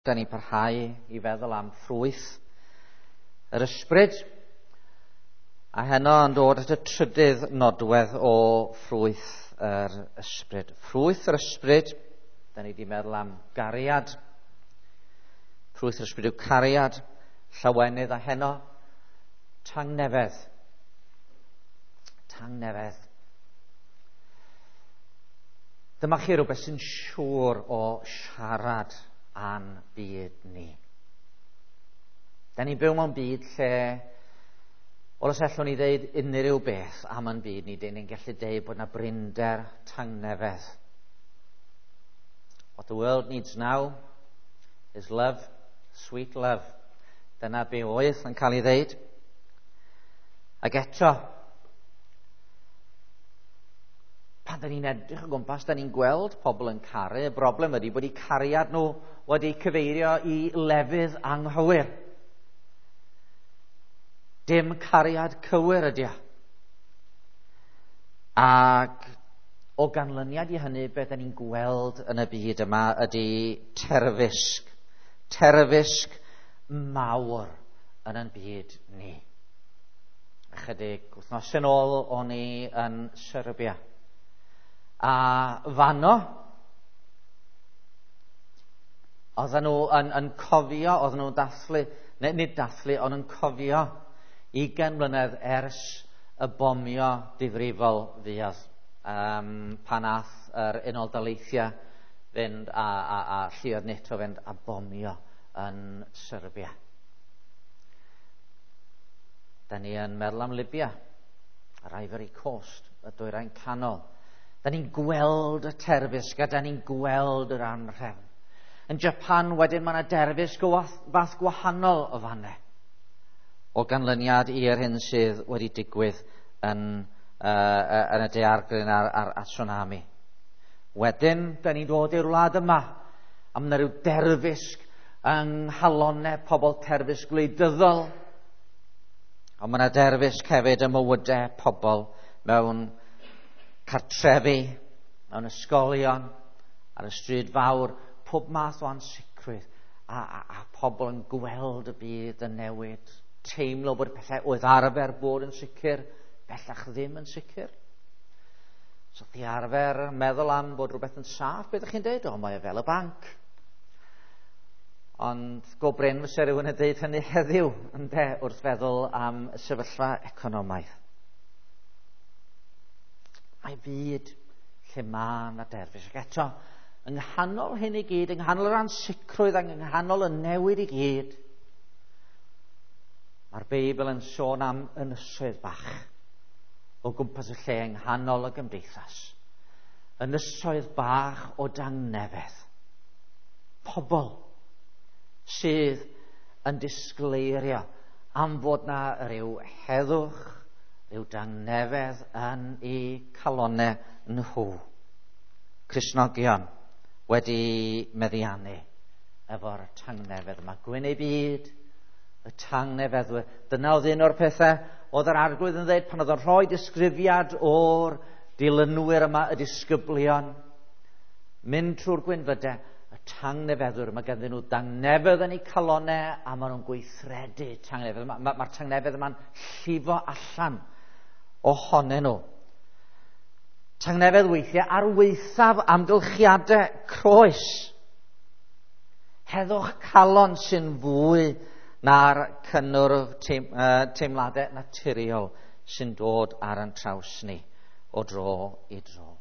Da ni'n parhau i feddwl am ffrwyth yr ysbryd, a heno yn dod at y trydydd nodwedd o ffrwyth yr ysbryd. Ffrwyth yr ysbryd, da ni wedi meddwl am gariad. Ffrwyth yr ysbryd yw cariad, llawenydd, a heno tangnefedd. Tangnefedd. Dyma chi rhywbeth sy'n siŵr o siarad a'n byd ni. Da ni'n byw mewn byd lle, wel, os allwn ni ddeud unrhyw beth am yn byd ni, dyn ni'n gallu deud bod yna brinder tangnefedd. What the world needs now is love, sweet love. Dyna be oedd yn cael ei ddeud. Ac eto, pan da ni'n edrych o gwmpas, da ni'n gweld pobl yn caru. Y broblem ydy bod eu cariad nhw wedi cyfeirio i lefydd anghywir. Dim cariad cywir ydy o. Ac o ganlyniad i hynny, beth da ni'n gweld yn y byd yma ydy terfysg. Terfysg mawr yn ein byd ni. Ychydig wythnos yn ôl o'n i yn Serbia. A fanno, oedden nhw yn cofio, oedden nhw'n dathlu, neu nid dathlu, ond yn cofio 20 mlynedd ers y bomio difrifol fuodd, pan ath yr Unol Daleithiau fynd a lluoedd NATO fynd a bomio yn Serbia. Da ni yn meddwl am Libya, yr Ivory Coast, y Dwyrain Canol. Da ni'n gweld y terfysg a da ni'n gweld yr anrhefn. Yn Japan wedyn mae yna derfysg o fath gwahanol o fannau, o ganlyniad i'r hyn sydd wedi digwydd yn y daeargryn a'r tsunami. Wedyn, da ni'n dod i'r wlad yma, a mae yna rhyw derfysg yng nghalonnau pobl, terfysg gwleidyddol, ond mae yna derfysg hefyd ym mywydau pobl mewn cartrefi, mewn ysgolion, ar y stryd fawr, pob math o ansicrwydd, a pobl yn gweld y byd yn newid, teimlo bod pethau oedd arfer bod yn sicr, bellach ddim yn sicr. So chi arfer meddwl am bod rhywbeth yn saff, beth ydych chi'n deud? O, mae o fel y banc. Ond go brin fysa rhywun yn deud hynny heddiw, ynde, wrth feddwl am y sefyllfa economaidd. Mae byd lle mae yna derfysg. Ac eto, yng nghanol hyn i gyd, yng nghanol yr ansicrwydd ac yng nghanol y newid i gyd, mae'r Beibl yn sôn am ynysoedd bach o gwmpas y lle yng nghanol y gymdeithas. Ynysoedd bach o dangnefedd. Pobl sydd yn disgleirio am fod na ryw heddwch, ryw dangnefedd yn eu calonnau nhw. Cristnogion wedi meddiannu efo'r tangnefedd yma. Gwyn eu byd, y tangnefeddwyr. Dyna oedd un o'r pethau oedd yr Arglwydd yn dweud pan oedd o'n rhoi disgrifiad o'r dilynwyr yma, y disgyblion, mynd trwy'r gwynfydau, y tangnefeddwyr. Mae ganddyn nhw dangnefedd yn eu calonnau a maen nhw'n gweithredu tangnefedd. Mae'r tangnefedd yma'n llifo allan ohonyn nhw. Tangnefedd weithiau ar waethaf amgylchiadau croes. Heddwch calon sy'n fwy na'r cynnwrf teimladau naturiol sy'n dod ar ein traws ni o dro i dro.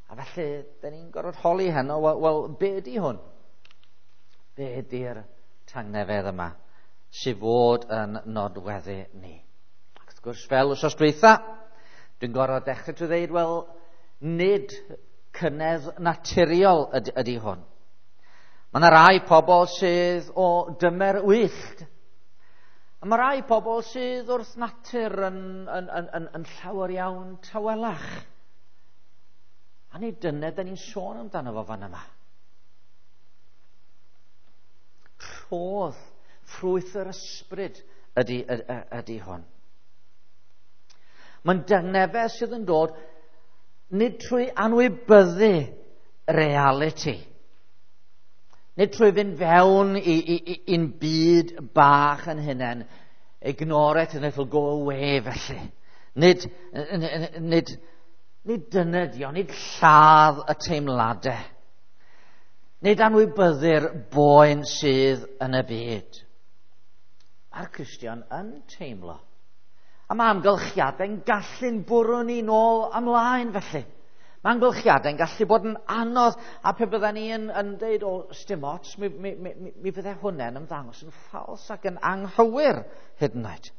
A felly, da ni'n gorfod holi heno, wel, be ydi hwn? Be ydi'r tangnefedd yma sydd fod yn nodweddu ni? Ac wrth gwrs, fel wythnos dwytha, dwi'n gorfod dechrau trwy ddeud, wel, nid cynnydd naturiol ydy hwn. Mae yna rai pobl sydd o dymer wyllt. A mae rai pobl sydd wrth natur yn llawer iawn tawelach. A nid dyna da ni'n sôn amdano fo fan yma. Rhodd, ffrwyth yr ysbryd ydy hwn. Mae'n dangnefedd sydd yn dod nid trwy anwybyddu reality. Nid trwy fynd fewn i'n byd bach yn hunain, ignore it and it'll go away felly. Nid dyna di o, nid lladd y teimladau. Nid anwybyddu'r boen sydd yn y byd. Mae'r Cristion yn teimlo. A mae amgylchiadau'n gallu'n bwrw ni nôl ymlaen felly. Mae amgylchiadau'n gallu bod yn anodd, a pe bydden ni yn deud, o, sdim ots, mi fydde hwnna'n ymddangos yn ffals ac yn anghywir hyd yn oed.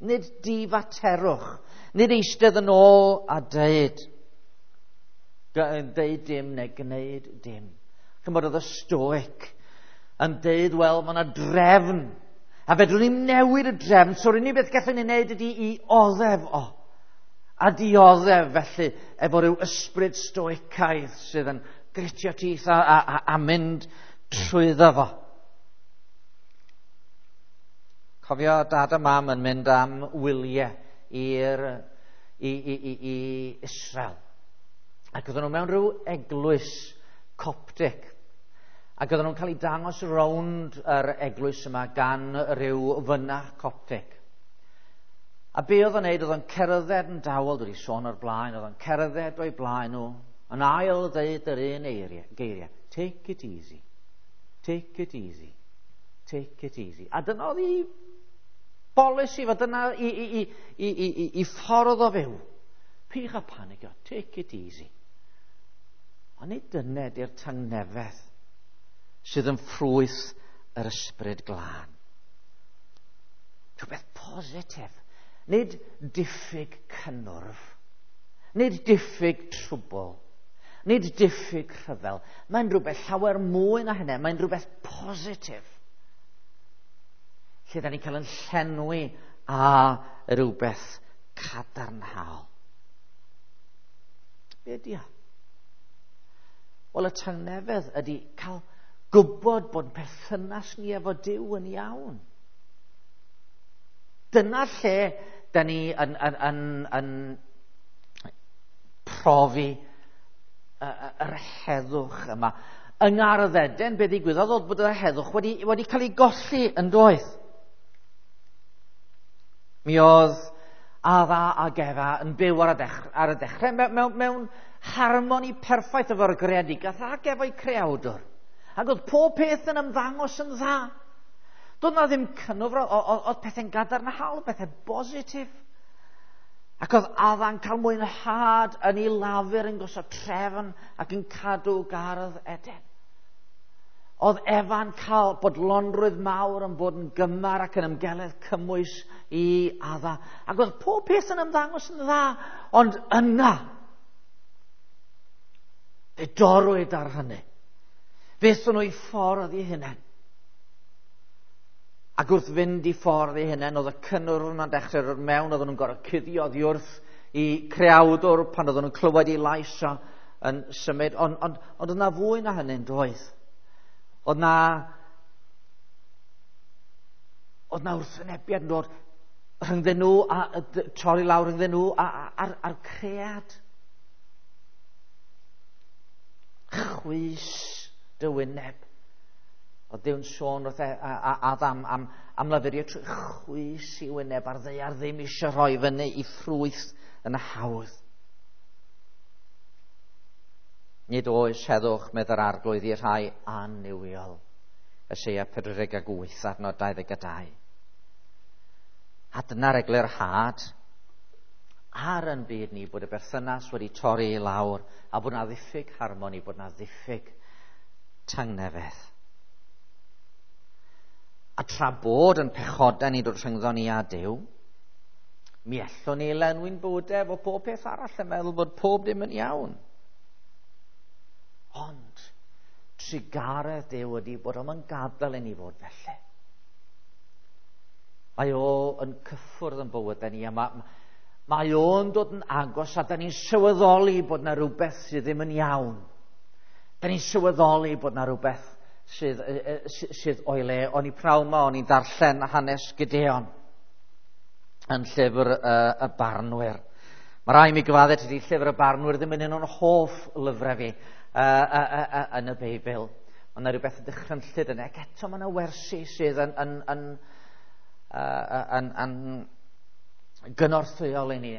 Nid difaterwch, nid eistedd yn ôl a deud dim neu gwneud dim. Chymod, oedd y Stoic yn deud, wel, mae yna drefn, a fedrwn ni'n newid y drefn, so'r unig beth gallwn ni wneud ydy i oddef o. A dioddef felly efo rhyw ysbryd stoicaidd sydd yn gritio teeth a mynd trwyddo fo. Cofio dad a mam yn mynd am wyliau i Israel. Ac oedden nhw mewn rhyw eglwys Coptic. Ac oedden nhw'n cael eu dangos rownd yr eglwys yma gan rhyw fynach Coptic. A be oedd o'n neud, oedd o'n cerdded yn dawel, dwi wedi sôn o'r blaen, oedd o'n cerdded o'i blaen nhw, yn ail ddeud yr un geiriau. Take it easy, take it easy, take it easy. A dyna oedd i bolisi fo, dyna i ffordd o fyw. Peidiwch â panicio, take it easy. Ond nid dyna ydy'r tangnefedd sydd yn ffrwyth yr ysbryd glân. Rhywbeth positif. Nid diffyg cynnwrf, nid diffyg trwbl, nid diffyg rhyfel. Mae'n rhywbeth llawer mwy na hynny, mae'n rhywbeth positif. Lle da ni'n cael yn llenwi â rhywbeth cadarnhaol. Be ydi o? Wel, y tangnefedd ydy cael gwybod bod perthynas ni efo Duw yn iawn. Dyna lle da ni yn profi yr heddwch yma. Yng Ngardd Eden, be ddigwyddodd oedd bod y heddwch wedi cael ei golli yn doedd. Mi oedd Adda ac Efa yn byw ar y dechrau mewn harmoni perffaith efo'r greadigaeth ac efo'i creawdwr. Ac oedd pob peth yn ymddangos yn dda. Doedd na ddim cynnwrf, oedd pethau'n gadarnhaol, pethau bositif. Ac oedd Adda'n cael mwynhad yn ei lafur yn gosod trefn ac yn cadw gardd Eden. Oedd Efa'n cael bodlonrwydd mawr yn bod yn gymar ac yn ymgeledd cymwys i Adda. Ac oedd pob peth yn ymddangos yn dda, ond yna, fe dorrwyd ar hynny. Fe aethon nhw i ffordd eu hunain. Ac wrth fynd i ffordd eu hunain, oedd y cynnwrf yma'n dechrau dod mewn, oedden nhw'n gorfod cuddio oddi wrth i creawdwr pan oedden nhw'n clywed ei lais o yn symud. Ond oedd yna fwy na hynny'n doedd. Oedd na wrthwynebiad yn dod rhyngddyn nhw, a torri lawr rhyngddyn nhw a'r cread. Chwys dy wyneb. Oedd Duw'n sôn wrth Adam am lafurio trwy chwys i wyneb ar ddaear ddim eisiau rhoi fyny i ffrwyth yn hawdd. Nid oes heddwch, medd yr Arglwydd, i'r rhai annuwiol. Eseia 48, adnod 22. A dyna'r eglurhad ar yn byd ni bod y berthynas wedi torri i lawr a bod na ddiffyg harmoni, bod na ddiffyg tangnefedd. A tra bod yn pechodau ni dod rhyngddo ni a Duw, mi allwn ni lenwi'n bywydau efo pob peth arall yn meddwl bod pob dim yn iawn. Ond trugaredd Duw ydy bod o'm yn gadael i ni fod felly. Mae o yn cyffwrdd yn bywydau ni, a mae o'n dod yn agos, a da ni'n sylweddoli bod na rhywbeth sydd ddim yn iawn. Da ni'n sylweddoli bod na rhywbeth sydd o'i le. O'n i prawn ma, o'n i'n darllen hanes Gideon yn llyfr y Barnwyr. Mae rhaid mi gyfadde, tydi llyfr y Barnwyr ddim yn un o'n hoff lyfrau fi. yn y Beibl. Mae yna rhywbeth yn dychrynllyd yna, ac eto mae yna wersi sydd yn gynorthwyol i ni.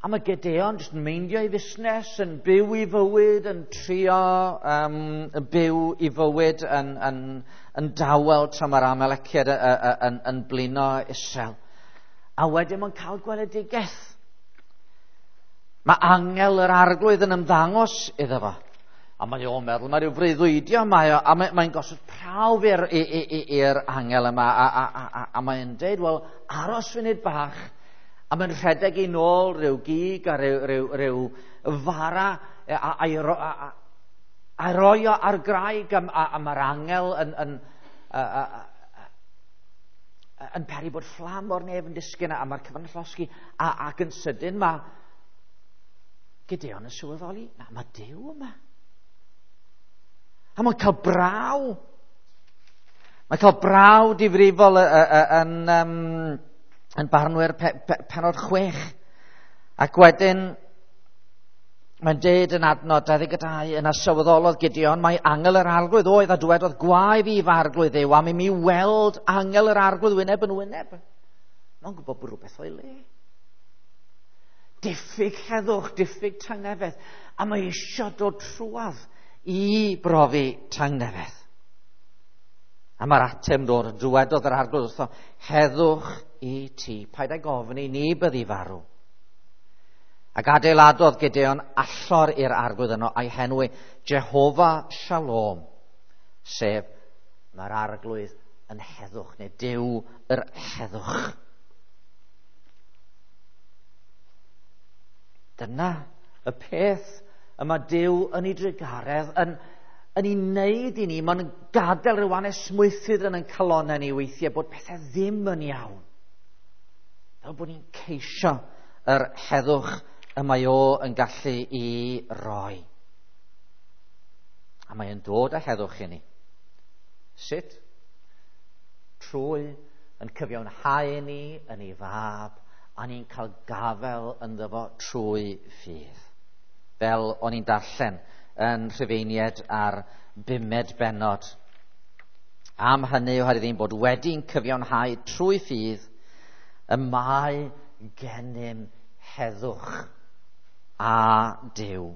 A mae Gideon jyst yn meindio ei fusnes, yn byw i fywyd, yn trio yn byw i fywyd yn dawel tra mae'r Amaleciaid yn blino isel. A wedyn mae'n cael gweledigaeth. Mae angel yr arglwydd yn ymddangos iddo fo. A mae o'n meddwl, mae rhyw freuddwydio, a mae'n gosod prawf i'r angel yma, a mae'n deud, wel, aros funud bach, a mae'n rhedeg i nôl rhyw gig a rhyw fara, a roi o ar graig, a mae'r angel yn peri bod fflam o'r nef yn disgyn, a mae'r cyfan yn llosgi, ac yn sydyn mae Gideon yn sylweddoli, na, mae Duw yma. A mae'n cael braw. Mae'n cael braw difrifol yn Barnwyr penod 6. Ac wedyn, mae'n deud yn adnod 22, yna sylweddolodd Gideon, mae angel yr arglwydd oedd a dywedodd, gwae fi fy arglwydd Dduw, am i mi weld angel yr arglwydd wyneb yn wyneb. Mae'n gwybod bod rhywbeth o'i le. Diffyg heddwch, diffyg tangnefedd. A mae eisiau dod trwadd i brofi tangnefedd. A mae'r ateb dod, dywedodd yr arglwydd wrtho, heddwch i ti, paid ag ofni, ni byddi farw. Ac adeiladodd Gideon allor i'r arglwydd yno a'i henwi Jehofa Shalom, sef mae'r arglwydd yn heddwch, neu Duw yr heddwch. Dyna y peth y mae Duw yn ei drugaredd yn ei wneud i ni. Mae'n gadael rhyw anesmwythyd yn ein calonnau ni weithiau bod pethau ddim yn iawn. Fel bod ni'n ceisio yr heddwch y mae o yn gallu i roi. A mae yn dod â heddwch i ni. Sut? Trwy yn cyfiawnhau ni yn ei fab, a ni'n cael gafael ynddo fo trwy ffydd. Fel o'n i'n darllen yn Rhufeiniaid ar 5 bennod. Am hynny, oherwydd ein bod wedi'n cyfiawnhau trwy ffydd, y mae gennym heddwch a Duw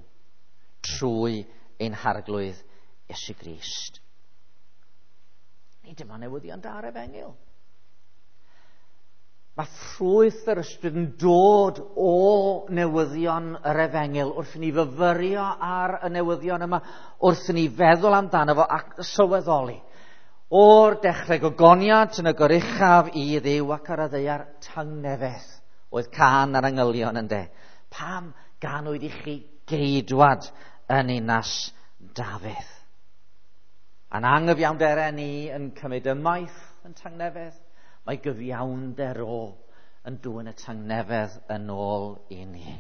trwy ein harglwydd Iesu Grist. Nid dyma newyddion da'r efengyl. Mae ffrwyth yr ysbryd yn dod o newyddion yr efengyl wrth i ni fyfyrio ar y newyddion yma, wrth i ni feddwl amdano fo ac sylweddoli. O'r dechrau gogoniant yn y goruchaf i Dduw ac ar y ddaear tangnefedd oedd cân ar angylion ynde. Pam ganwyd i chi geidwad yn ninas Dafydd? A'n anghyfiawnderau ni yn cymryd ymaith yn tangnefedd, mae gyfiawnder o yn dwyn y tangnefedd yn ôl i ni.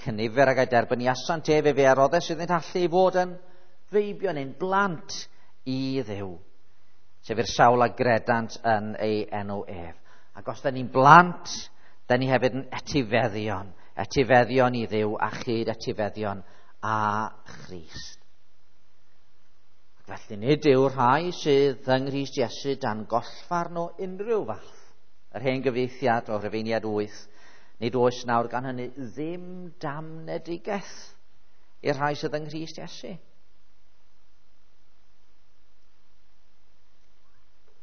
Cynifer ag ei derbyniasant ef efe a roddes iddynt allu i fod yn feibion neu'n blant i Dduw, sef i'r sawl a gredant yn ei enw ef. Ac os da ni'n blant, da ni hefyd yn etifeddion, etifeddion i Dduw a chyd etifeddion a Christ. Felly nid yw'r rhai sydd yng Nghrist Iesu dan gollfarn o unrhyw fath. Yr hen gyfieithiad o Rufeiniaid 8, nid oes nawr gan hynny ddim damnedigaeth i'r rhai sydd yng Nghrist Iesu.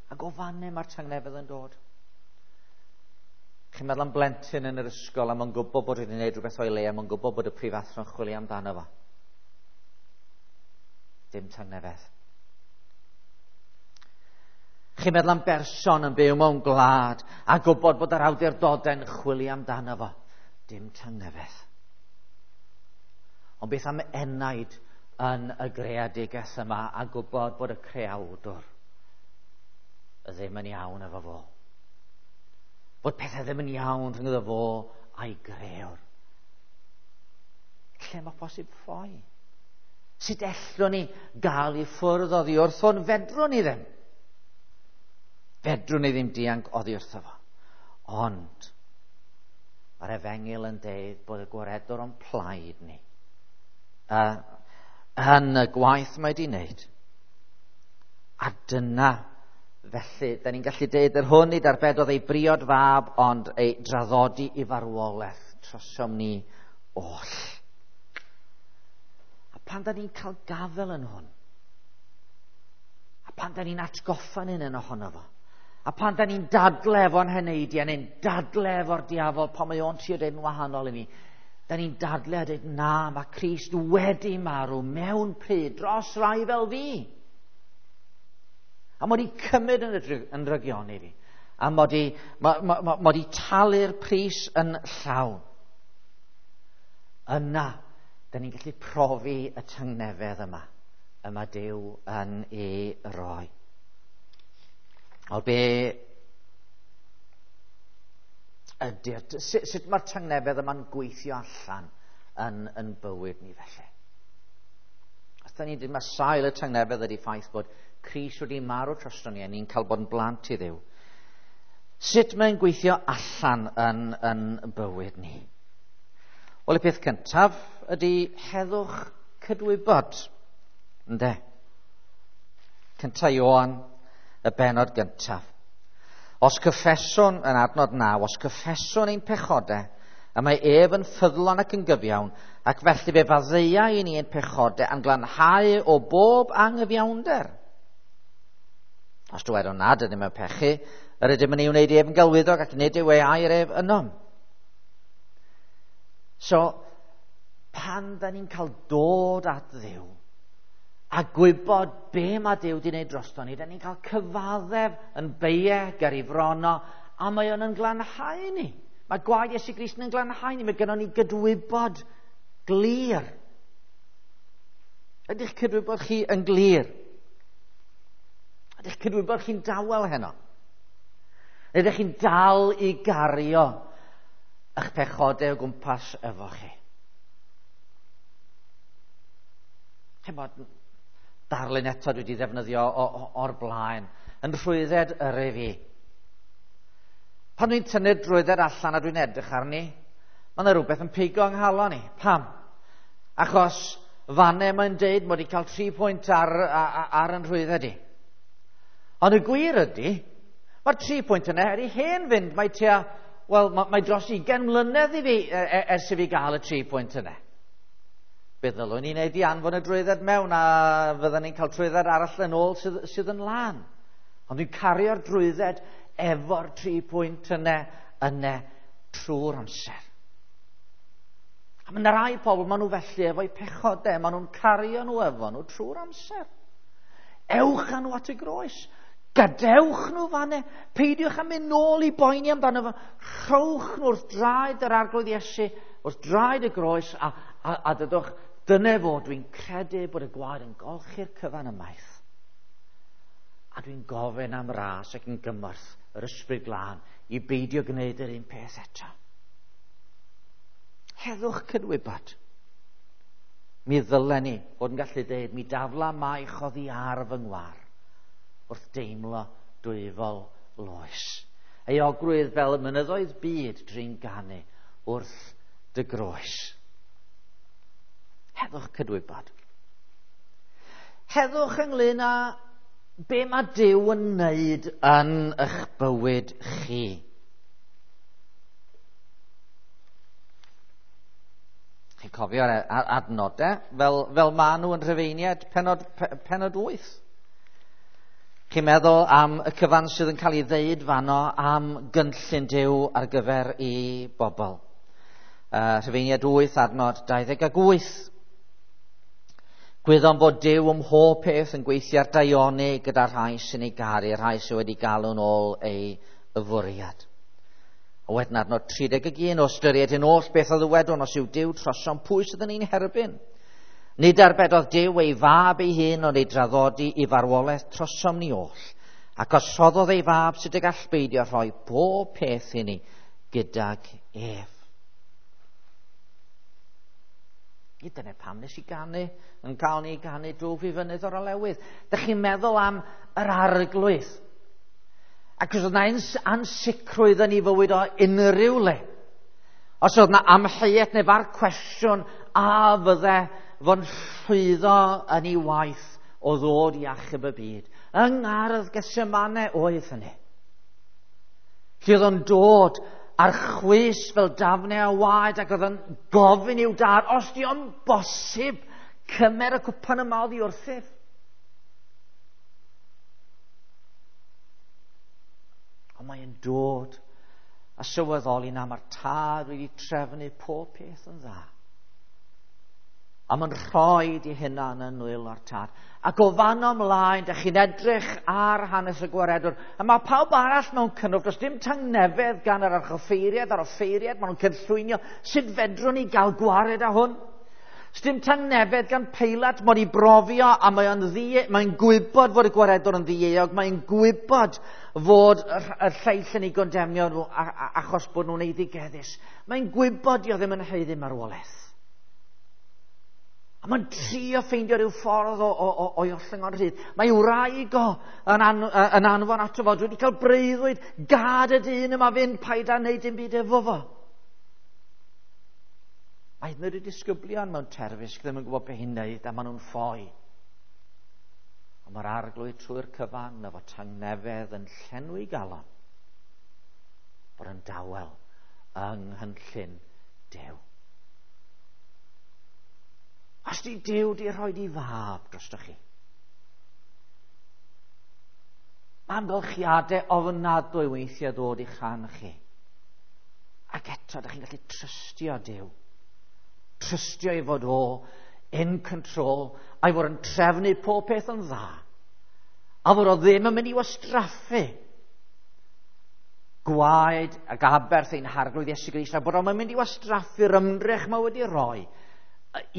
Ac o fanne mae'r tangnefedd yn dod. Chi'n meddwl am blentyn yn yr ysgol a mae'n gwybod bod wedi gwneud rhywbeth o'i le a mae'n gwybod bod y prifathro'n chwilio amdano fo. Dim tangnefedd. Chi'n meddwl am berson yn byw mewn gwlad a gwybod bod yr awdurdodau'n chwilio amdano fo. Dim tangnefedd. Ond beth am enaid yn y greadigaeth yma a gwybod bod y creawdwr ddim yn iawn efo fo. Bod pethau ddim yn iawn rhyngddo fo a'i greawr. Lle mae posib ffoi? Sut ellwn ni gael i ffwrdd oddi wrtho'n? Fedrwn ni ddim. Fedrwn ni ddim dianc oddi wrtho fo. Ond mae'r efengyl yn deud bod y gwaredwr o'n plaid ni. yn y gwaith mae wedi wneud. A dyna, felly, da ni'n gallu deud yr hwn i darbedodd ei briod fab, ond ei draddodi i farwolaeth trosom ni oll. A pan da ni'n cael gafel yn hwn, a pan da ni'n atgoffa'n un ohono fo, a pan da ni'n dadle efo'n heneidiau, neu'n dadle efo'r diafol, pan mae o'n trio deud yn wahanol i ni, da ni'n dadle a dweud, na, mae Crist wedi marw mewn pryd dros rai fel fi. A mod i cymryd yn drygioni fi. A mod i talu'r pris yn llawn. Yna, da ni'n gallu profi y tangnefedd yma. Y mae Duw yn ei roi. O be ydy'r... Sut mae'r tangnefedd yma'n gweithio allan yn bywyd ni felly? Os da ni'n dweud, mae sail y tangnefedd ydy ffaith bod Crist wedi marw drosto ni a ni'n cael bod yn blant i Dduw. Sut mae'n gweithio allan yn bywyd ni? Wel, y peth cyntaf ydy heddwch cydwybod. Ynde? Cynta Ioan, y bennod gyntaf. Os cyffeswn yn adnod 9, os cyffeswn ein pechodau, a mae ef yn ffyddlon ac yn gyfiawn, ac felly fe faddeuai i ni ein pechodau a'n glanhau o bob anghyfiawnder. Os dywedwn nad ydym yn pechu, yr ydym yn ei wneud ef yn gelwyddog ac nid yw ei air ef ynom. So, pan da ni'n cael dod at Dduw a gwybod be mae Duw wedi wneud drosto ni, da ni'n cael cyfaddef yn beie ger ei frono, a mae o'n yn glanhau ni. Mae gwaed Iesu Grist yn glanhau ni, mae gynnon ni gydwybod glir. Ydych cydwybod chi yn glir? Ydych cydwybod chi'n dawel heno? Ydych chi'n dal i gario eich pechodau o gwmpas efo chi? Chimod, darlun eto dwi wedi ddefnyddio o'r blaen, yn rhwydded yrru fi. Pan dwi'n tynnu'r drwydded allan a dwi'n edrych arni, mae yna rhywbeth yn pigo yng nghalon i. Pam? Achos fanne mae'n deud mod i cael 3 pwynt ar yn rhwydded i. Ond y gwir ydy, mae'r 3 pwynt yna er i hen fynd, mae tua, wel, mae dros 20 mlynedd i fi ers i fi gael y 3 pwynt yna. Be ddylwn ni'n neud i anfon y drwydded mewn a fydden ni'n cael trwydded arall yn ôl sydd yn lân. Ond dwi'n cario'r drwydded efo'r 3 pwynt yna trwy'r amser. A mae yna rai pobl, maen nhw felly efo'u pechodau, maen nhw'n cario nhw efo nhw trwy'r amser. Ewch â nhw at y groes. Gadewch nhw fanne. Peidiwch â mynd nôl i boeni amdano fo. Rhowch nhw wrth draed yr Arglwydd Iesu, wrth draed y groes, a dydwch, dyna fo, dwi'n credu bod y gwaed yn golchi'r cyfan ymaith. A dwi'n gofyn am ras ac yn gymorth yr Ysbryd Glân i beidio gwneud yr un peth eto. Heddwch cydwybod. Mi ddylen ni fod yn gallu deud, mi dafla maich oddi ar fy ngwar wrth deimlo dwyfol loes. Euogrwydd fel y mynyddoedd byd drin ganu wrth dy groes. Heddwch cydwybod. Heddwch ynglyn â be mae Duw yn wneud yn eich bywyd chi. Chi'n cofio'r adnodau fel maen nhw yn Rhufeiniaid pennod 8. Chi'n meddwl am y cyfan sydd yn cael ei ddeud fanno am gynllun Duw ar gyfer ei bobl. Rhufeiniaid 8 adnod 28. Gwyddom bod Duw ym mhob peth yn gweithio ar daioni gyda rhai sy'n ei garu, rhai sydd wedi galw'n ôl ei fwriad. A wedyn adnod 31, o ystyried hyn oll beth a ddywedwn, os yw Duw trosom, pwy sydd yn ein herbyn? Nid arbedodd Duw ei fab ei hun, ond ei draddodi i farwolaeth trosom ni oll. Ac os rhoddodd ei fab, sut y gall beidio rhoi pob peth i ni gydag ef. I dyna pam nes i ganu, yn cael ni ganu dwf i fynydd o'r olewydd. Dych chi'n meddwl am yr Arglwydd. Ac os oedd yna ansicrwydd yn ei fywyd o unrhyw le, os oedd yna amheuaeth neu far cwestiwn a fydde fo'n llwyddo yn ei waith o ddod i achub y byd. Yng ngardd Gethsemane oedd hynny. Lle oedd o'n dod ar chwys fel dafnau o waed ac oedd o'n gofyn i'w dad, os di o'n bosib, cymer y cwpan yma oddi wrthyf. Ond mae'n dod a sylweddoli na mae'r tad wedi trefnu pob peth yn dda. A mae'n rhoi i hunan yn nwylo'r tad. Ac o fan ymlaen, da chi'n edrych ar hanes y gwaredwr. A mae pawb arall mewn cynnwrf, does dim tangnefedd gan yr archoffeiriad a'r offeiriad, maen nhw'n cynllwynio. Sut fedrwn ni gael gwared â hwn? Sdim tangnefedd gan Peilat, mod i brofio, a mae'n gwybod fod y gwaredwr yn ddieuog, mae'n gwybod fod y lleill yn ei gondemnio nhw achos bod nhw'n eiddigeddus. Mae'n gwybod di o ddim yn haeddu marwolaeth. A mae'n trio ffeindio rhyw ffordd o'i ollwng o'n rhydd. Mae wraig o yn anfon ato fo. Dwi wedi cael breuddwyd, gad y dyn yma fynd, paid â wneud dim byd efo fo. Mae hyd yn oed y disgyblion mewn terfysg ddim yn gwybod beth i'n wneud a maen nhw'n ffoi. Ond mae'r arglwydd trwy'r cyfan efo tangnefedd yn llenwi galon bod yn dawel yng nghynllun Duw. Os di Duw di rhoi di fab drostoch chi. Mae amgylchiadau ofnadwy weithiau ddod i'ch rhan chi. Ac eto, ydych chi'n gallu trystio Duw. Trystio i fod o in control, a'i fod yn trefnu pob peth yn dda. A fod o ddim yn mynd i wastraffu gwaed ac aberth ein harglwydd Iesu Grist, a bod o'n mynd i wastraffu'r ymdrech mae wedi rhoi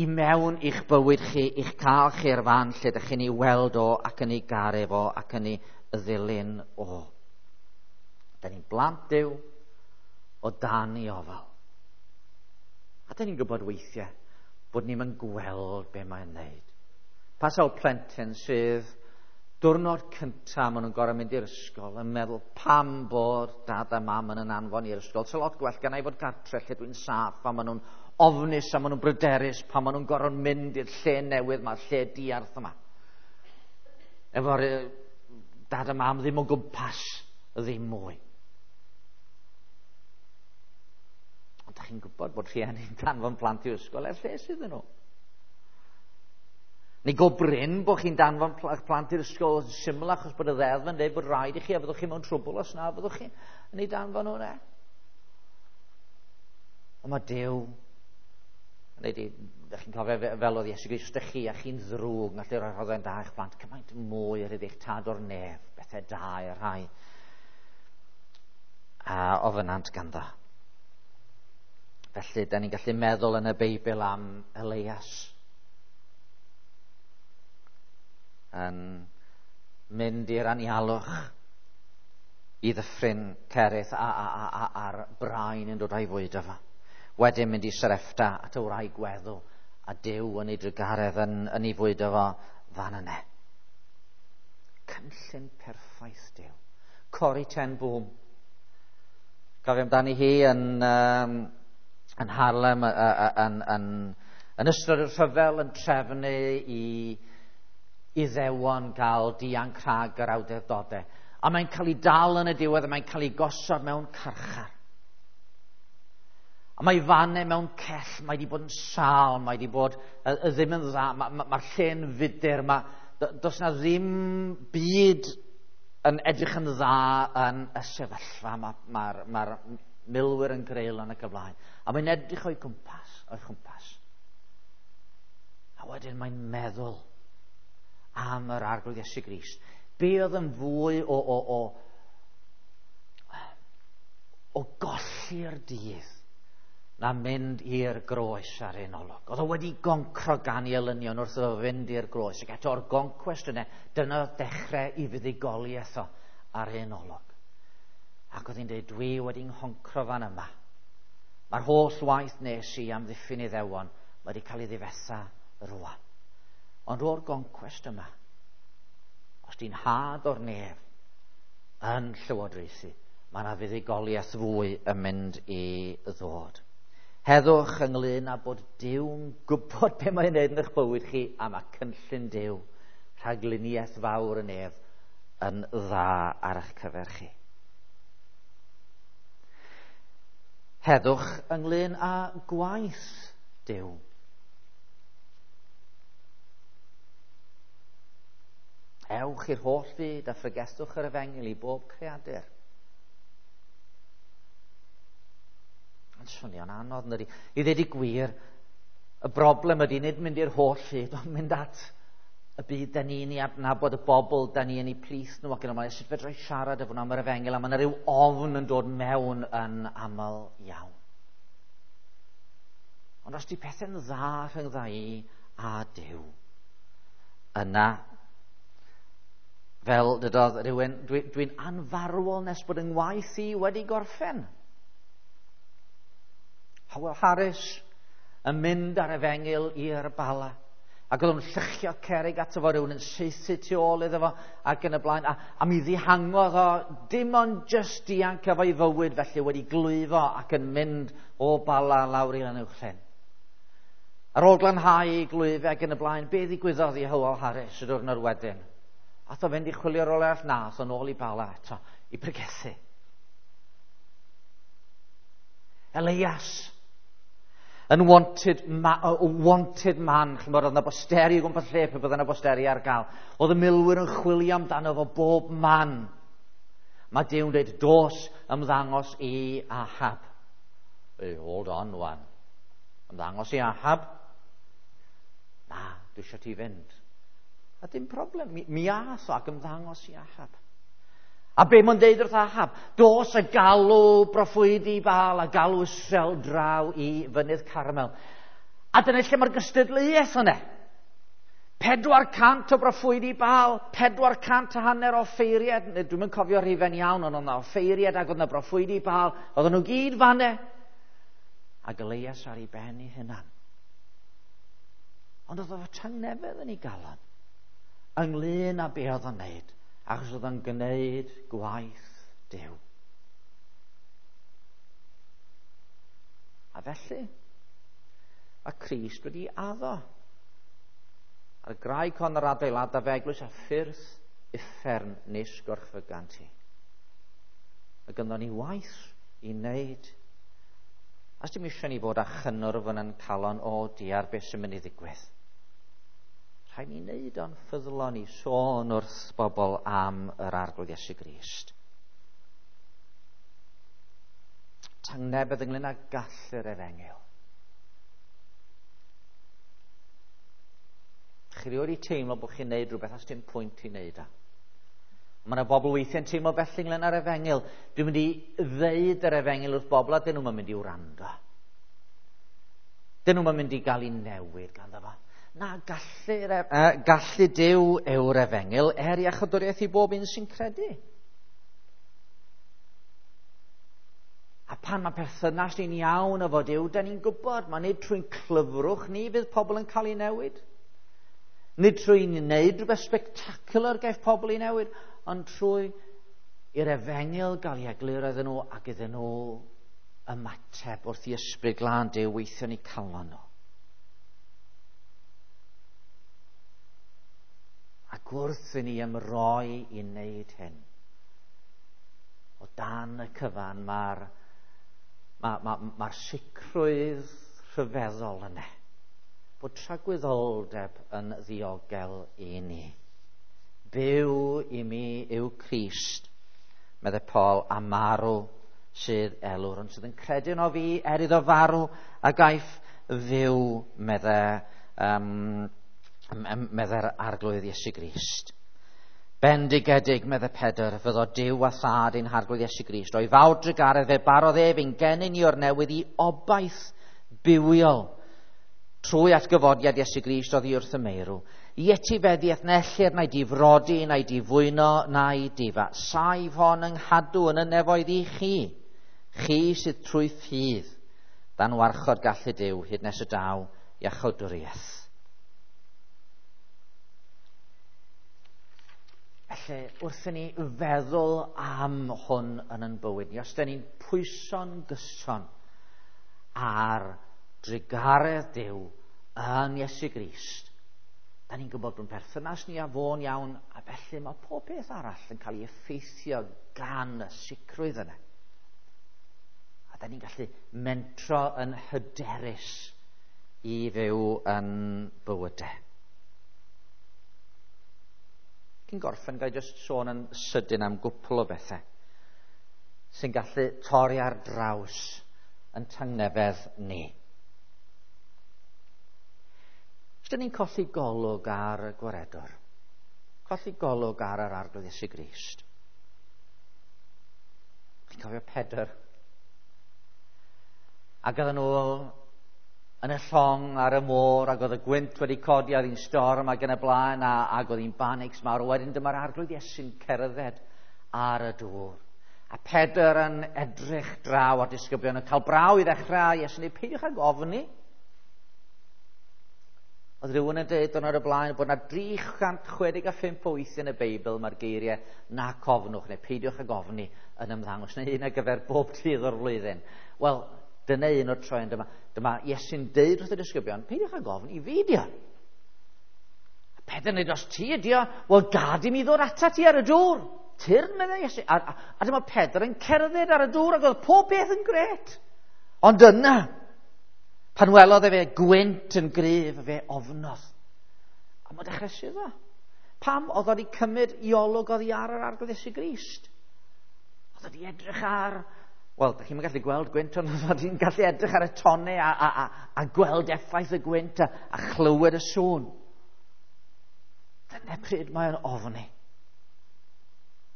i mewn i'ch bywyd chi, i'ch cael chi'r fan lle ydych chi'n ei weld o ac yn ei garu fo ac yn ei ddilyn o. Da ni'n blant Duw o dan ei ofal. A da ni'n gwybod weithiau bod ni'n mynd gweld be mae'n wneud. Pa sawl plentyn sydd diwrnod cyntaf maen nhw'n gorfod mynd i'r ysgol yn meddwl pam bod dad a mam yn anfon i'r ysgol. So lot gwell gan i fod gartre lle dwi'n saff a maen nhw'n ofnus a maen nhw'n bryderus pan maen nhw'n gorfod mynd i'r lle newydd yma, lle diarth yma. Efo'r dad a mam ddim o gwmpas, ddim mwy. Ond da chi'n gwybod bod rhieni'n danfon plant i'r ysgol er lles iddyn nhw. Neu go brin bod chi'n danfon plant i'r ysgol yn syml achos bod y ddeddf yn dweud bod rhaid i chi a fyddwch chi mewn trwbl os na fyddwch chi yn ei danfon nhw ne. Ond mae Duw, neu di, chi'n cofio fel oedd Iesu Grist, ydych chi a chi'n ddrwg, yn gallu rhoi rhoddion da i'ch plant, cymaint mwy ar eich tad o'r nef, bethau da i'r rhai a ofynant ganddo. Felly, da ni'n gallu meddwl yn y Beibl am Elias yn mynd i'r anialwch i ddyffryn Cerith a'r brain yn dod â'i fwyd efo. Wedyn mynd i Sarepta at y wraig weddw a Duw yn ei drugaredd yn ei fwyd efo fan yna. Cynllun perffaith Duw. Corrie ten Boom. Cofio amdani hi yn Harlem yn ystod y rhyfel yn trefnu i Iddewon gael dianc rhag yr awdurdodau. A mae'n cael ei dal yn y diwedd a mae'n cael ei gosod mewn carchar. A mae fanne mewn cell, mae wedi bod yn sâl, mae wedi bod ddim yn dda, mae'r lle'n fudur, does na ddim byd yn edrych yn dda yn y sefyllfa, mae'r milwyr yn greulon ac y blaen. A mae'n edrych o'i gwmpas. A wedyn mae'n meddwl am yr Arglwydd Iesu Grist. Be oedd yn fwy o golli'r dydd na mynd i'r groes ar un olwg. Oedd o wedi goncro gan ei elynion wrth iddo fynd i'r groes. Ac eto o'r goncwest yna, dyna ddechrau i fuddugoliaeth o ar un olwg. Ac oedd hi'n dweud, dwi wedi nghoncro fan yma. Mae'r holl waith nes i am ddiffyn Iddewon wedi cael ei ddifetha rwan. Ond o'r goncwest yma, os di'n had o'r nef yn llywodraethu, mae yna fuddugoliaeth fwy yn mynd i ddod. Heddwch ynglyn â bod Duw'n gwybod be mae'n neud yn eich bywyd chi, a mae cynllun Duw, rhagluniaeth fawr yn ef, yn dda ar eich cyfer chi. Heddwch ynglyn â gwaith Duw. Ewch i'r holl fyd a phregethwch yr efengyl i bob creadur. Mae'n swnio'n anodd, ydy. I ddweud y gwir, y broblem ydy nid mynd i'r holl fyd, ond mynd at y byd da ni'n ei adnabod, y bobl da ni yn ei plith nhw ac yn ymlaen. Sut fedra i siarad efo nhw am yr efengyl, a mae yna ryw ofn yn dod mewn yn aml iawn. Ond os di pethau'n dda rhyngdda i a Duw, yna, fel dydodd rhywun, dwi'n dwi anfarwol nes bod yng ngwaith i wedi gorffen. Howell Harris yn mynd ar efengyl i'r Bala. Ac oedd o'n llychio cerig ato fo, rhywun yn saethu tu ôl iddo fo, ac yn y blaen. A mi ddihangodd o, dim ond jyst dianc efo'i fywyd, felly wedi glwyfo ac yn mynd o Bala lawr i Lanuwchllyn. Ar ôl glanhau ei glwyfau ac yn y blaen, be ddigwyddodd i Howell Harris y diwrnod wedyn? Ath o fynd i chwilio rôl arall? Na, ath o'n ôl i Bala eto, i pregethu. Elias, yn wanted, ma, wanted man, chymod, oedd yna bosteri o gwmpas lle pe bydde yna bosteri ar gael. Oedd y milwyr yn chwilio amdano fo bob man. Mae Duw'n dweud, dos ymddangos i Ahab. Hey, hold on, wan. Ymddangos i Ahab? Na, dwi eisiau ti fynd. A dim problem, mi, mi ath o ac ymddangos i Ahab. A be mae'n deud wrth Ahab? Dos a galw broffwydi Baal a galw Israel draw i fynydd Carmel. A dyna lle mae'r gystadleuaeth yna. 400 o broffwydi Baal, 450 o ffeiriad, dwi'm yn cofio rhifen iawn, ond oedd yna offeiriad ac oedd yna broffwydi Baal, oedden nhw gyd fanne. Ac Elias ar ei ben ei hunan. Ond oedd o tangnefedd yn ei galon ynglyn â be oedd o'n neud, achos oedd o'n gwneud gwaith Duw. A felly, mae Crist wedi addo. Ar y graig hon yr adeiladaf eglwys a ffyrdd uffern nis gorchfygant hi. Mae gynddon ni waith i wneud. A dim eisiau ni fod â chynnwrf yn ein calon, o diar, beth sy'n mynd i ddigwydd. Rhaid ni wneud o'n ffyddlon i sôn wrth bobl am yr Arglwydd Iesu Grist. Tangnefedd ynglyn â gallu'r efengyl. Chi rioed wedi teimlo bod chi'n neud rhywbeth a dim pwynt i wneud o. Mae yna bobl weithiau'n teimlo felly ynglyn â'r efengyl. Dwi'n mynd i ddeud yr efengyl wrth bobl a dyn nhw'n mynd i wrando. Dyn nhw'n mynd i gael ei newid ganddo fo. Na, gallu, gallu Duw yw'r efengyl er iachawdwriaeth i bob un sy'n credu. A pan mae perthynas ni'n iawn efo Duw, da ni'n gwybod, mae nid trwy'n clyfrwch ni fydd pobl yn cael ei newid. Nid trwy wneud rhywbeth spectacular gaiff pobl ei newid, ond trwy i'r efengyl gael ei egluro iddyn nhw ac iddyn nhw ymateb wrth i ysbryd glân Duw weithio yn eu calon nhw. Ac wrth i ni ymroi i wneud hyn, o dan y cyfan mae'r ma, ma, ma sicrwydd rhyfeddol yna, bod tragwyddoldeb yn ddiogel i ni. Byw i mi yw Crist, meddai Paul, a marw sydd elw'r, ond sydd yn credu yno fi er iddo farw a gaiff fyw, meddai meddai'r Arglwydd Iesu Grist. Bendigedig, meddai Pedr, fyddo Duw a Thad ein Harglwydd Iesu Grist. O'i fawr drugaredd fe barodd ef ein genyn ni o'r newydd i obaith bywiol trwy atgyfodiad Iesu Grist oddi wrth y meirw. I etifeddiaeth na ellir na'i difrodi, na'i difwyno, na'i difa. Saif hon yng nghadw yn y nefoedd i chi, chi sydd trwy ffydd, dan warchod gallu Duw hyd nes y daw iachawdwriaeth. Felly, wrth i ni feddwl am hwn yn ein bywyd ni, os da ni'n pwyso'n gyson ar drugaredd Duw yn Iesu Grist, da ni'n gwybod bod perthynas ni â fo'n iawn, a felly mae pob peth arall yn cael ei effeithio gan y sicrwydd yna. A da ni'n gallu mentro yn hyderus i fyw yn bywydau. Cyn gorffen, ga i jyst sôn yn sydyn am gwpl o bethau sy'n gallu torri ar draws yn tangnefedd ni. Os dyn ni'n colli golwg ar y gwaredwr, colli golwg ar yr Arglwydd Iesu Grist. Chi'n cofio Pedr? Ac oedden nhw yn y llong ar y môr, ac oedd y gwynt wedi codi ar un storm ac yn y blaen, ac oedd hi'n banics mawr. Wedyn dyma'r Arglwydd Iesu'n cerdded ar y dŵr. A Pedr yn edrych draw ar disgyblion yn cael braw i ddechrau. Iesu'n dweud, peidiwch ag ofni. Oedd rhywun yn dweud diwrnod y blaen bod yna 365 o weithiau yn y Beibl mae'r geiriau nac ofnwch neu peidiwch ag ofni yn ymddangos, neu un ar gyfer bob dydd o'r flwyddyn. Wel, dyna un o'r troion dyma. Dyma Iesu'n deud wrth y disgyblion, peidiwch ag ofni, fi ydi o. A Pedr yn dweud, os ti ydi o, wel gad i mi ddod atat ti ar y dŵr. Tyrd, meddai Iesu. A dyma Pedr yn cerdded ar y dŵr ac oedd pob beth yn gret. Ond yna, pan welodd efe gwynt yn gryf, fe ofnodd. A mae'n dechrau suddo. Pam oedd wedi cymryd i olwg oddi ar yr Arglwydd Iesu Grist? Oedd wedi edrych ar... Wel, da chi'n gallu gweld gwynt, ond oedd wedi'n gallu edrych ar y tonnau a gweld effaith y gwynt a chlywed y sŵn. Dyna pryd mae'n ofni.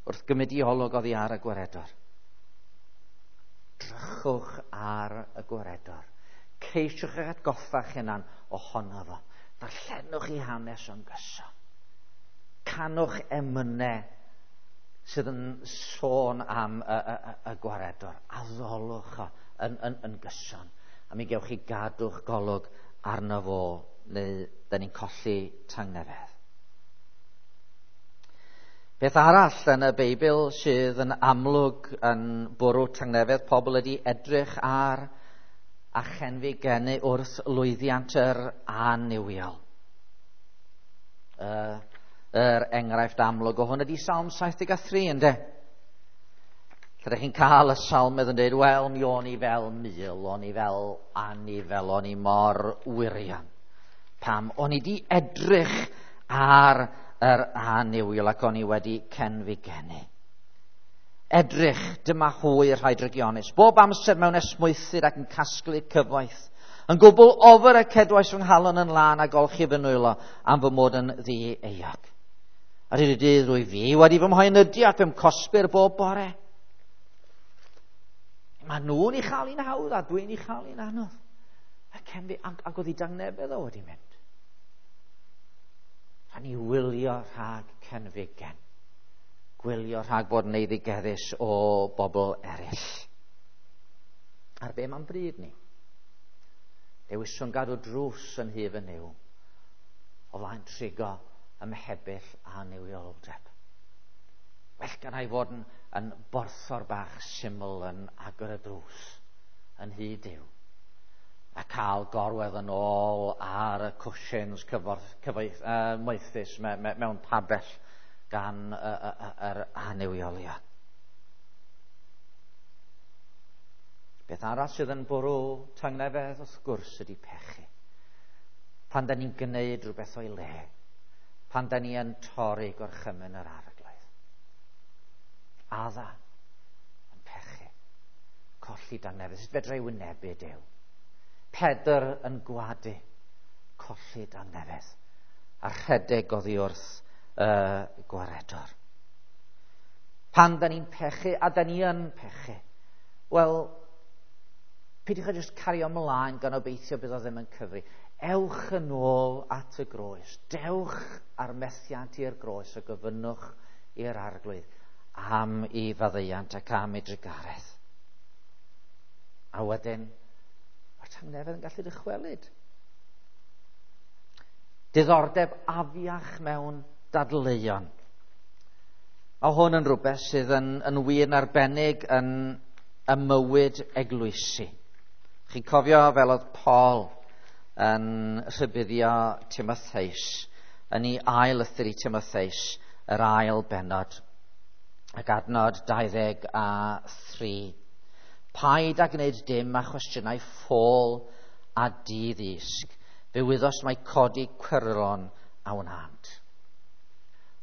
Wrth gymryd i olwg oddi ar y gwaredwr. Drychwch ar y gwaredwr. Ceisiwch eich atgoffa'ch hunan ohono fo. Darllenwch i hanes o'n gyson. Canwch emynau sydd yn sôn am y gwaredwr. Addolwch o yn gyson. A mi gewch chi gadw'ch golwg arno fo, neu da ni'n colli tangnefedd. Peth arall yn y Beibl sydd yn amlwg yn bwrw tangnefedd pobl ydy edrych ar a chenfigenu wrth lwyddiant yr annuwiol. Yr enghraifft amlwg o hwn ydy Salm 73, ynde? Lle ydych chi'n cael y salmydd yn dweud, wel, mi o'n i fel mul, o'n i fel anifel, o'n i mor wirion. Pam? O'n i di edrych ar yr annuwiol ac o'n i wedi cenfigenu. Edrych, dyma hwy y rhai drygionus, bob amser mewn esmwythyd ac yn casglu cyfoeth. Yn gwbl ofer y cedwais fy nghalon yn lân a golchi fy nwylo am fy mod yn ddi-euog. Ar hyd y dydd rwy fi wedi fy mhoenydu ac fe'm cosbir bob bore. Mae nhw'n ei chael hi'n hawdd a dwi'n ei chael hi'n anodd. Ac oedd ei dangnefedd o wedi mynd. Rhaid ni wylio rhag cenfigen. Gwylio rhag bod yn eiddigeddus o bobl eraill. Ar be mae'n bryd ni? Dewiswn gadw drws yn hyf yn Nuw o flaen trigo ymhebyll a nuwioldeb. Well gan i fod yn borthor bach syml yn agor y drws yn hyd Duw a cael gorwedd yn ôl ar y cushions moethus mewn pabell gan yr annuwiolion. Beth arall sydd yn bwrw tangnefedd wrth gwrs ydy pechu. Pan da ni'n gwneud rhywbeth o'i le, pan da ni yn torri gorchymyn yr Arglwydd. Adda yn pechu, colli dangnefedd. Sut fedra i wynebu Duw? Pedr yn gwadu, colli dangnefedd, a rhedeg oddi wrth y gwaredwr. Pan da ni'n pechu, a da ni yn pechu, wel, peidiwch â jyst cario ymlaen gan obeithio bydd o ddim yn cyfri. Ewch yn ôl at y groes. Dewch ar methiant i'r groes a gofynnwch i'r Arglwydd am ei faddeuant ac am ei drugaredd. A wedyn, mae'r tangnefedd yn gallu dychwelyd. Diddordeb afiach mewn dadleuon. Mae hwn yn rhywbeth sydd yn wir yn arbennig yn y mywyd eglwysi. Chi'n cofio fel oedd Paul yn rhybuddio Timotheus yn ei ail lythyr i Timotheus, yr ail bennod, ac adnod 23. Paid â gwneud dim â chwestiynau ffôl a diddysg. Fe wyddos mai codi cwyrlon a wnânt.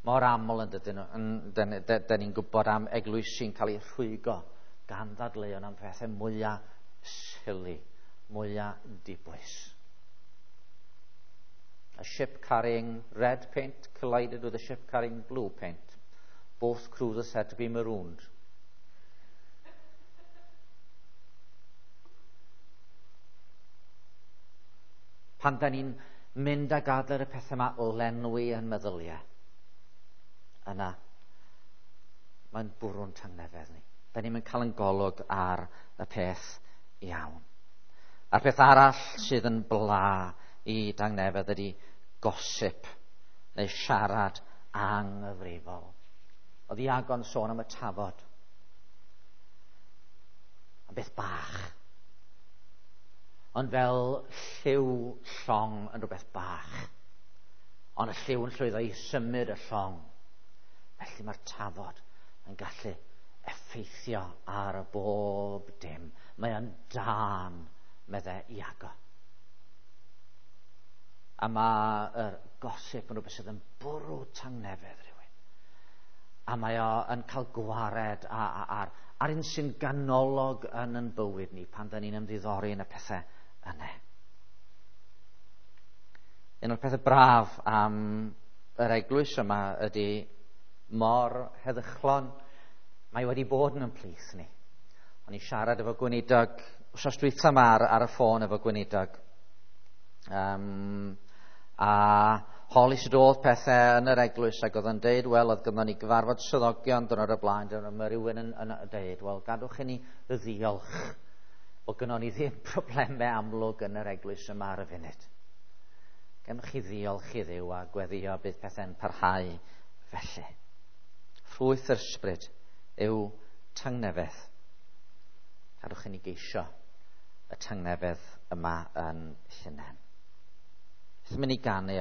Mor aml yn dydyn nhw, dyn ni'n gwybod am eglwysi'n cael eu rhwygo gan ddadleuon am pethau mwyaf silly, mwyaf dibwys. A ship carrying red paint collided with a ship carrying blue paint. Both crews are said to be marooned. Pan da ni'n mynd a gadael y pethau yma lenwi yn meddyliau, yna mae'n bwrw'n tangnefedd ni. Da ni'n cael yn golwg ar y peth iawn. A'r peth arall sydd yn bla i dangnefedd ydy gossip neu siarad anghyfrifol. Oedd Iago'n sôn am y tafod. Am beth bach. Ond fel lliw llong yn rhywbeth bach. Ond y lliw yn llwyddo i symud y llong. Felly mae'r tafod yn gallu effeithio ar y bob dim. Mae o'n dân, meddai Iago. A mae'r gossip yn rhywbeth sydd yn bwrw tangnefedd rhywun. A mae o yn cael gwared ar un sy'n ganolog yn yn bywyd ni pan da ni'n ymddiddori yn y pethau yna. Un o'r pethau braf am yr eglwys yma ydy mor heddychlon mae wedi bod yn ymplith ni. O'n i'n siarad efo gweinidog, wsos dwytha yma ar y ffôn efo gweinidog. A holi sut oedd pethau yn yr eglwys, ac oedd yn deud, wel, oedd gynnon ni gyfarfod swyddogion diwrnod o'r blaen, dyna mae rhywun yn deud, wel, gadwch i ni ddiolch bod gynnon ni ddim problemau amlwg yn yr eglwys yma ar y funud. Gewch chi ddiolch i Dduw a gweddio bydd pethau'n parhau felly. Ffrwyth yr ysbryd yw tangnefedd. Gadwch i ni geisio y tangnefedd yma yn hunain. Beth mynd i ganu